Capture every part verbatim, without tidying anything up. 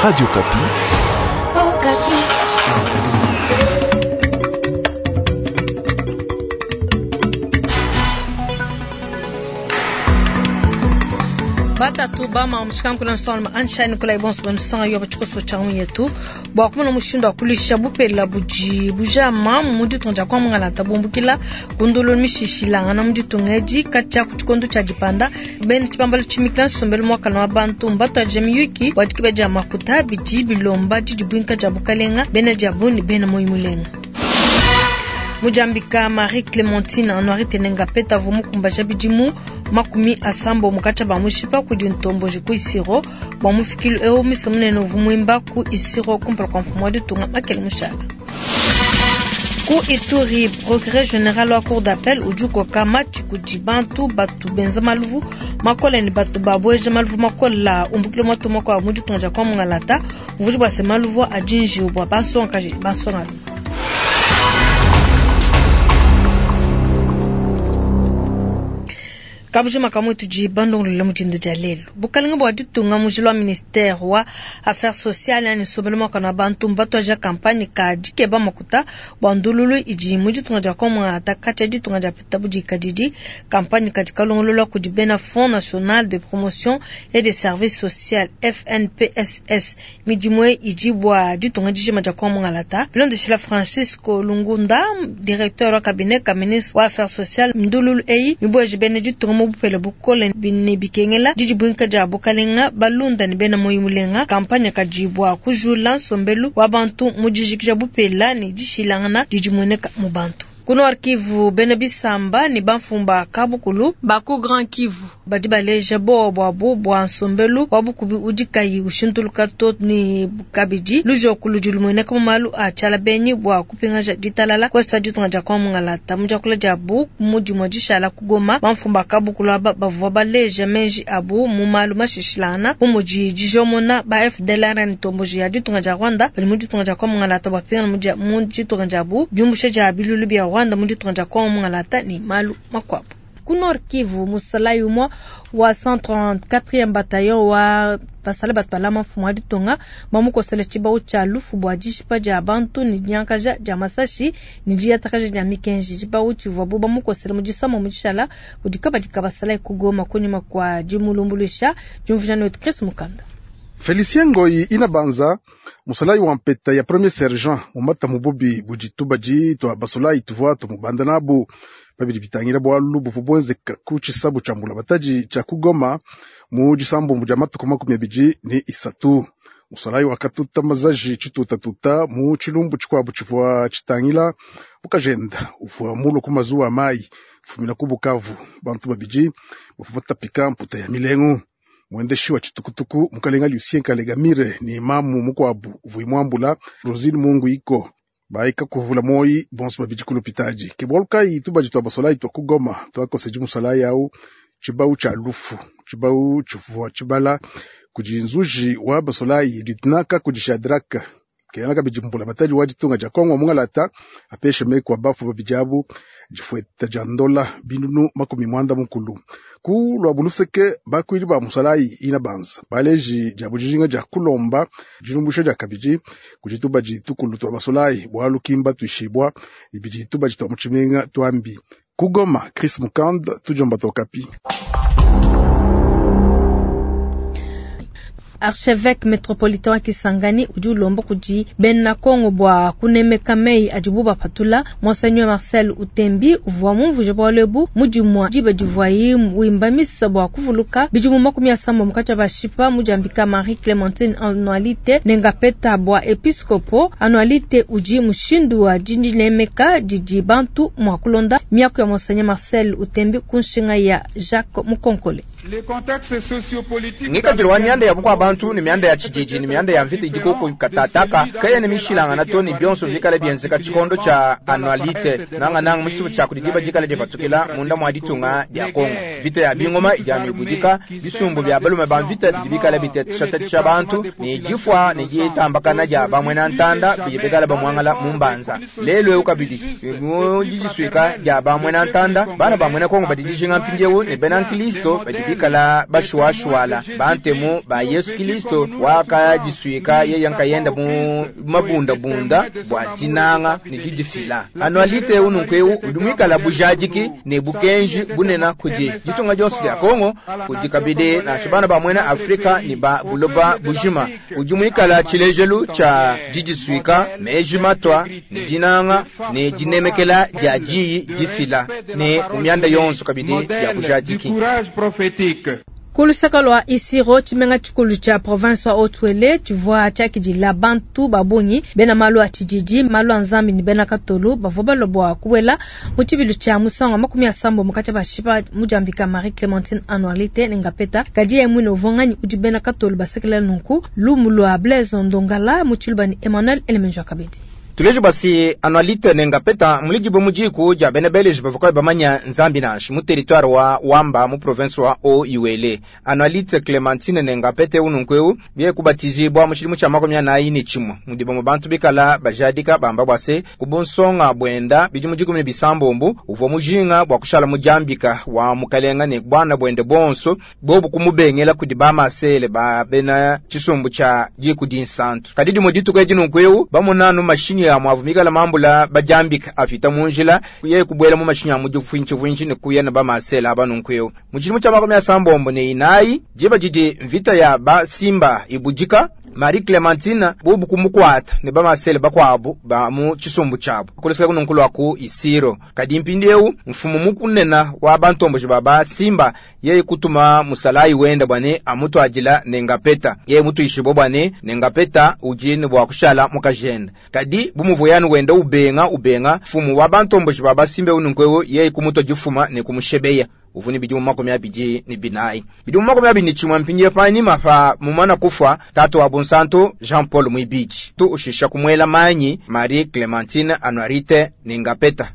Radio Okapi. Batatu bama mushikanku nsonga anshine kula ibonso bansanga yo bachikoso cha yetu bwa kumona mushindo akulisha bupela buji bujama mu ditunga kwa mungala tabumbukila kundulu mishishilanga mu ditunga edi kacha kuchikondo cha dipanda ben chipambalo chimikila nsombelo mwaka na bantu mbato ajemiyuki wadikibeja makuta biji bilomba didibwinka ja bukalenga bena jabuni bena moyimulenga Mujambika Marie Clémentine Anuarite Tenenga peta vumu kumbaja bidimu makumi asambo mukacha ba mushipa kudi ntomboji ku isiro bwa mufikilu eo misamunene vumwimba ku isiro kumpala kwa mfumu wa ditunga makele mushala ku Ituri procureur général wa cour d'appel ujuko kama chikudi bantu batu benza maluvu makola ni batu babweje maluvu makola umbukilo mwatu kwa mu ditunga kwa mungalata uvuji bwa se maluvu ajinji bwa basonga basonga. Kabujima kamwe tuji bandongolo mutindo ja lelo bukalinga bwa ditunga mujilo wa ministère wa affaires sociales yani sobelo makana bantu mbato ja campagne ka dikeba makuta bwa ndululu iji mu ditunga ja komwa atakacha ditunga ja pita budi kadidi campagne ka dikalongolo ku dibena Fonds national de promotion et des services sociaux F N P S S midimwe iji bwa ditunga dijima ja komwa lata bilonde Francisco Lungunda directeur wa cabinet ka ministre wa affaires sociales ndululu ei mibweje bene ditunga mubupele bukole bini bikengela didibwinka ja bukalenga balunda ni bena moyimulenga kampanya kajibwa kujula nsombelu wa bantu mujijikija bupela ni dishilangana didimweneka mu bantu. Kuno Kivu bene bisamba ni bamfumba kabukulu baku Grand Kivu badi baleja bo bwabu bwa nsombelu wabukubi udikayi ushintuluka to ni kabidi lujo kulujulumwene kama malu a chala benyi bwa kupingaja ditalala kwesa ditunga ja kwa mungalata mujakula jabu mujimwa dishala kugoma bamfumba kabukulu aba bavua baleja menji abu mu malu mashishilana mumuji dijomona ba F D L R ni tomboji ya ditunga ja Rwanda bali muditunga ja kwa mungalata bapinga muja muditunga jabu jumbushe ja bilulu bya Rwanda muditunga ja kwa mungalata ni malu makwabu. Ku Nord Kivu musalai umwa wa cent trente-quatrième bataillon wa basale batwala mafumu wa ditunga bamukosele tshibau tshia lufu bua dishipa dia bantu ni diankaja dia masashi ni diatakaja dia mikenji tshibau tshivua bamukosele mu disama mu dishala kudi kabadika basala kugoma kunyuma kwa dimulumbulusha diumvuja ne Chris Mukanda. Felicien Ngoyi inabanza musalai wa mpeta ya premier sergent mumata mububi bujitubaji twa basolai tuvua tumubanda nabu babiri bitangira bwalu buvu bwenzeka ku cisabu ca mbula bataji ca kugoma mu gisambu mu jamatu makumi abiri ni isatu musalai wakatuta mazaji citutatuta mu cilumbu cikwabu civua citangila bukajenda uvua mulo ku mazuwa mayi fumina ku Bukavu bantu babiji bavu batapika mputa ya milengu mwendeshi wa chitukutuku mukalenga Lucien Kalegamire ni imamu mukwabu vuimwambula Rosine Mungu iko baika kuvula moyi bonso babiji kulupitaji kebwalukai tubaji twa basolai twa kugoma twakoseji musalai au chibau cha lufu chibau chivua chibala kujinzuji wa basolai litunaka kujishadraka kena kabiji mbula bataji wajitunga ja Kongo mungalata apeshe mekwa bafu babijabu jifueta jandola binunu makumi mwanda mukulu ku lwa buluseke bakwili ba musalai ina banza baleji ja bujijinga ja kulomba jilumbusho ja kabiji kujituba jitukulu twa basolai bwalukimba tuishibwa ibijituba jitwa muchimenga twambi kugoma Chris Mukand tujomba tokapi. Archevêque métropolitain wa Kisangani udi ulomba kudi bena Kongo bwa kunemeka mei adibu bapatula Monseigneur Marcel Utembi uvua mumvuje bwalebu mudimwa diba divuayi wimba misa bwa kuvuluka bidimu makumi asamba mukacha bashipa mujambika Marie Clémentine Anuarite Nengapeta bwa episcopo Anuarite udi mushindu wa dindinemeka didi bantu mwa kulonda miaku ya Monseigneur Marcel Utembi kunshinga ya Jacques Mukonkole. Ngikadiri wa mianda ya bukwa bantu ni mianda ya chijiji ni mianda ya mvita idikoko katataka kaya ni mishilanga na toni bionso vikale bienzeka chikondo cha Anuarite nanga nanga mushitu cha kudidiba jikale difatukila munda mwa ditunga dia Kongo vita ya bingoma ijanu ibudika bisumbu bya balume ba mvita bidibikale bitetisha bantu ni jifwa ni jitambakana ja bamwe na ntanda bijibikale bamwangala mumbanza lelo ukabidi mu jijiswika ja bamwe na ntanda bana bamwe na Kongo badijinga mpinjewo ni bena Kristo badibikale bikala bashuashuala bantemu ba Yesu Kristo wakadisuika yeye nkayenda mu mabundabunda bua dinanga ne didifila. Anualite ununku udi muikala bujadiki ne bukenji bunena kudi ditunga dionso dia Kongo, kudi kabidi nansha bana ba muena Afrika ne ba buloba bujima. Udi muikala tshilejelu tshia didisuika, meji matwa ne dinanga ne dinemekela dia diyi difila ne mianda yonso kabidi ya bujadiki. Kulusaka lwa Isiro tshimenga tshikulu tshia province wa Haut-Uele tshivua tshiakidila bantu ba bungi bena malu a tshididi, malu a nzambi ne bena katolu bavua balua bua kubuela mu tshibilu tshia musangu wa makumi asambo mukati bashipa mudiambika Marie Clementine Anuarite ne Ngapeta. Kadi yeye muine uvua nganyi udi bena katolu basekelela nunku lumu lua Blaise Ndongala mu tshiluba ne Emmanuel Elemenjo kabidi. Tulejo basi Anuarite ne Ngapeta mulijibu mujiku ja bena belge bavua bamanya nzambi nansha mu territoire wa Wamba mu province wa Haut-Uele. Anuarite Clementine ne Ngapeta ununkweu biye kubatizibwa mu tshidimu tshia makumi anayi ne tshimue mudi bamwe bantu bikala bajadika bamba bwase kubunsonga bwenda bidi mujiku ne bisambombu uvua mujinga bwa kushala mujambika wa mukalenga ne bwana bwende bonso bobu kumubengela kudi bamasele ba bena tshisumbu tshia diku dinsantu. Kadidi mudituko edinunkweu bamunanu mashini ya mwavumikala mambula bajambika afita munjila kuye kubwela mu mashinya ya mudifuinchi fuinchi ne kuya na bamasela abanunkweu. Mu tshidimu tshia makumi asambombo ne inayi jiba jidi mvita ya ba simba ibujika Marie Clementine bobu kumukwata ne bamasele bakwabu ba mu tshisumbu tshabo kuleseka kununkulu ku Isiro. Kadi mpindieu mfumu mukunena wa bantomboji baba simba yeye kutuma musalayi wenda bwane amutwadila ne Ngapeta yeye mutuishibo bwane ne Ngapeta ujini bwa kushala mukajenda. Kadi bumuvuyanu wenda ubenga ubenga mfumu wa bantomboji baba simba ununkwewo yeye kumutwa jifuma ne kumushebeya uvuni bidimu makumi abidi ni binayi bidimu makumi abidi ni tshimwe mpindiye panyima pa mumana kufa tatu wa Bonsanto Jean Paul Mwibiji tu ushisha kumwela manyi Marie Clementine Anuarite ne Ngapeta.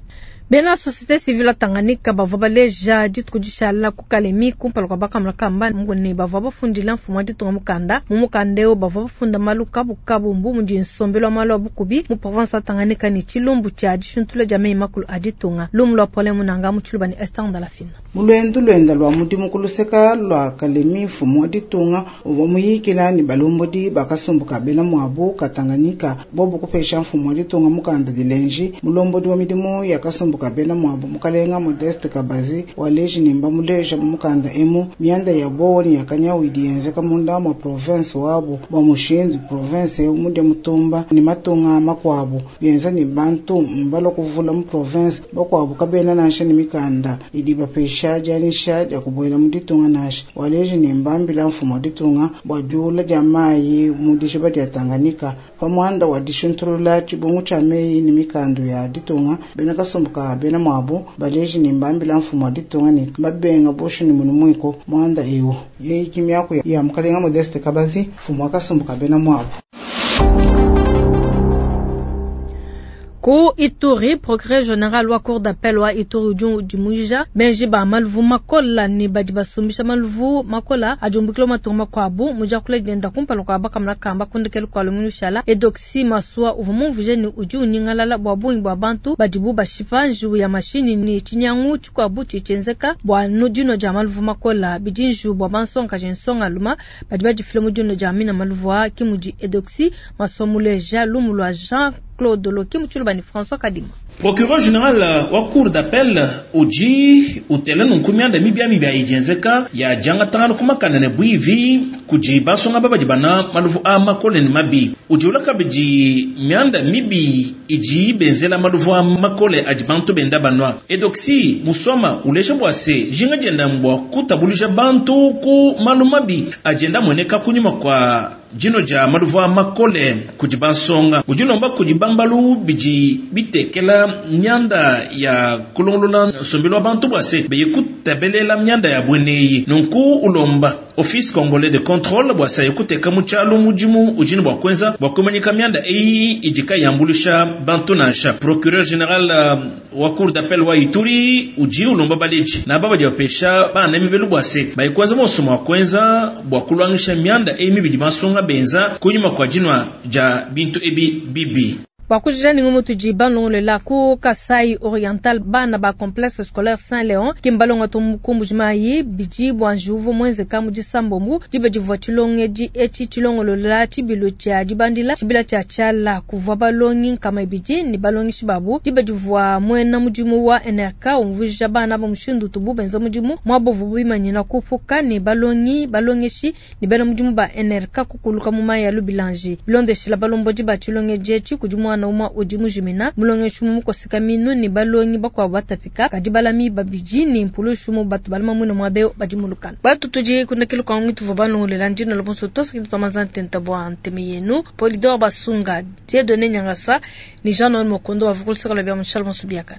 Bena société civile Tanganyika bavua baleja dituku dishala ku Kalemi kumpala kua bakamula kamba ne bavua bafundila mfumu wa ditunga mukanda mu mukanda eu bavua bafunda malu kabukabu mbu mudi nsombelu wa malu a bukubi mu province wa Tanganyika ne tshilumbu tshia dishuntula dia meyi makulu a ditunga. Lumu lua Paulin Munanga mu tshiluba ne Esther Ndalafina. Mulwendu lwenda lwa mudimu kuluseka lwa Kalemi mfumu wa ditunga uvua muyikila ne balombodi bakasumbuka bena muabu ka Tanganyika bobu kupesha mfumu wa ditunga mukanda dilenji mulombodi wa midimu ya kasumbuka bena muabu mukalenga Modeste Kabazi waleji nimba muleja mukanda emu mianda ya bowo ni yakanyawidi yenzeka munda mwa province wabo bwa mushindu province eu mudia mutumba ni matunga makwabo yenza ni bantu mbalo kuvula mu province bakwabo kabena nansha ni mikanda idi bapesha janisha ya kuboela muditunga nansha waleji nimba mbila mfumo ditunga bwa jula ja mayi mudishiba dia Tanganyika pamwanda wa dishuntulula tshibungu tsha meyi ni mikandu ya ditunga bena kasumbuka bena mwabo baleji ni mbambila mfumo ditunga ni babenga bosho ni munu mwiko mwanda ewo yeyi kimyako ya mukalenga Modeste Kabazi mfumo akasumbuka bena mwabo. Ku Ituri, procureur général wa cour d'appel wa Ituri udi udimuija benji ba maluvu makola ne badi basumbisha maluvu makola ajumbukilo matunga makuabu mujakula dienda kumpala kua bakamula kamba kundekelu kua lumingu shala Edoxi Masua uvua mumvuje ne udi unyingalala bua bungi bua bantu badibu bashipa njiwu ya mashini ne tshinyangu tshikuabu tshitshienzeka bua dinua dia maluvu makola bidi njiwu bua bansongakaji nsongaluma badi badifila mu dinua dia mina maluvu a kimudi Edoxi Masua muleja lumu lua Jean Claude Loki mu tshiluba ne François Kadima. Procureur général wa cour d'appel uji utele nunkumianda mibia mibia ijenzeka ya janga tangano kumakana ne bwivi kuji basonga babadi bana maluvu a makole ne mabi uji ulaka biji mianda mibi iji benzela maluvu a makole aji bantu benda banwa edoksi musoma ulesha bwase jinga jenda mbwa kutabulisha bantu ku malu mabi ajenda mweneka kunyuma kwa jino ja maluvu a makole kuji bansonga ujilomba kuji bambalu biji bitekela myanda ya kulongolola nsombelo wa bantu bwase beye kutabelela myanda ya bweneyi nunku ulomba office congolais de contrôle bwasa yekuteka muchalo mujimu ujini bwa kwenza bwa kumanyika myanda eyi ijika yambulisha bantu nansha procureur général uh, wa cour d'appel wa Ituri uji ulomba baleji na baba japesha bana mibelu bwase bayikwenza mosomo wa kwenza bwa kulwangisha myanda eyi mibidi bansonga benza kunyuma kwa jinwa ja bintu ebi bibi. Bua kujija ne ngumu tudi balongolola ku Kasai Oriental, bana ba complexe scolaire Saint Leon ki mbalonga ku Mbujimayi bidi bua njiwu uvua muenzeka mu disambombo diba divua tshilongedi etshi tshilongolola tshibilu tshia dibandila tshibila tshia tshiala kuvua balongi nkama ibidi ne balongeshi babu diba divua muena mudimu wa N R K umvuija bana ba mushindu utubu benza mudimu muaba uvuabu bimanyina kupuka ne balongi balongeshi ne bena mudimu ba N R K kukuluka mu mayi ya lubilanji. Bilondeshila balombodi ba tshilongedi etshi kudi mwana umwe udi mujimina mulongeshi mukoseka minu ne balongi bakuabu batapika kadi balami babidi ne mpulushu mu batu balama mwina mwabe badi mulukana. Batu tudi kundekelu kwa ngitu vwa balongolela ndino lobonso tosa kitu tamaza ntenta bwa nteme yenu Polidor Basunga, Dieudonné Nyangasa ni Jean Noël Mokondo wa vukulu sekala bya Michel Monsubiaka.